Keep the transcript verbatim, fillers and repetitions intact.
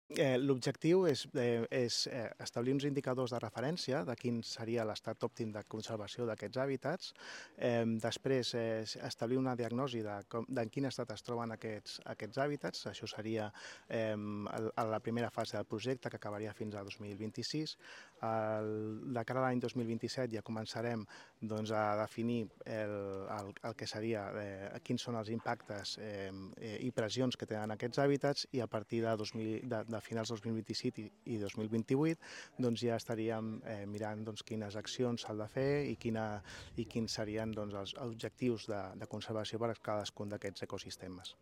Eh, L'objectiu és, eh, és eh, establir uns indicadors de referència de quin seria l'estat òptim de conservació d'aquests hàbitats, eh, després eh, establir una diagnosi de, com, de en quin estat es troben aquests, aquests hàbitats, això seria eh, el, a la primera fase del projecte que acabaria fins a dos mil vint-i-sis. El, de cara a l'any dos mil vint-i-set ja començarem doncs, a definir el, el, el que seria eh, quins són els impactes eh, i pressions que tenen aquests hàbitats, i a partir de, dos mil, de, de finals dos mil vint-i-set i, i dos mil vint-i-vuit doncs, ja estaríem eh, mirant doncs, quines accions s'han de fer i, quina, i quins serien doncs, els objectius de, de conservació per a cadascun d'aquests ecosistemes.